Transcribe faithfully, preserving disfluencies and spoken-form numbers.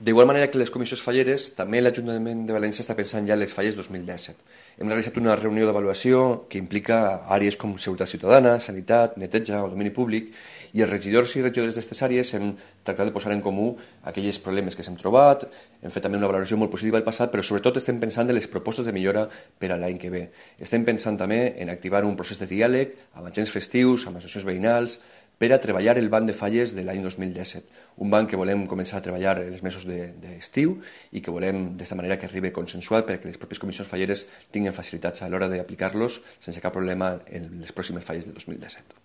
D'igual manera que les comissions falleres, també l'Ajuntament de València està pensant ja en les falles dos mil disset. Hem realitzat una reunió d'avaluació que implica àrees com seguretat ciutadana, sanitat, neteja o domini públic, i els regidors i regidores d'aquestes àrees hem tractat de posar en comú aquells problemes que s'hem trobat, hem fet també una valoració molt positiva del passat, però sobretot estem pensant en les propostes de millora per a l'any que ve. Estem pensant també en activar un procés de diàleg amb agents festius, amb associacions veïnals, per a treballar el banc de falles de l'any dos mil disset. Un banc que volem començar a treballar en els mesos d'estiu i que volem d'esta manera que arribi consensuat perquè les pròpies comissions falleres tinguin facilitats a l'hora d'aplicar-los sense cap problema en les pròximes falles del dos mil disset.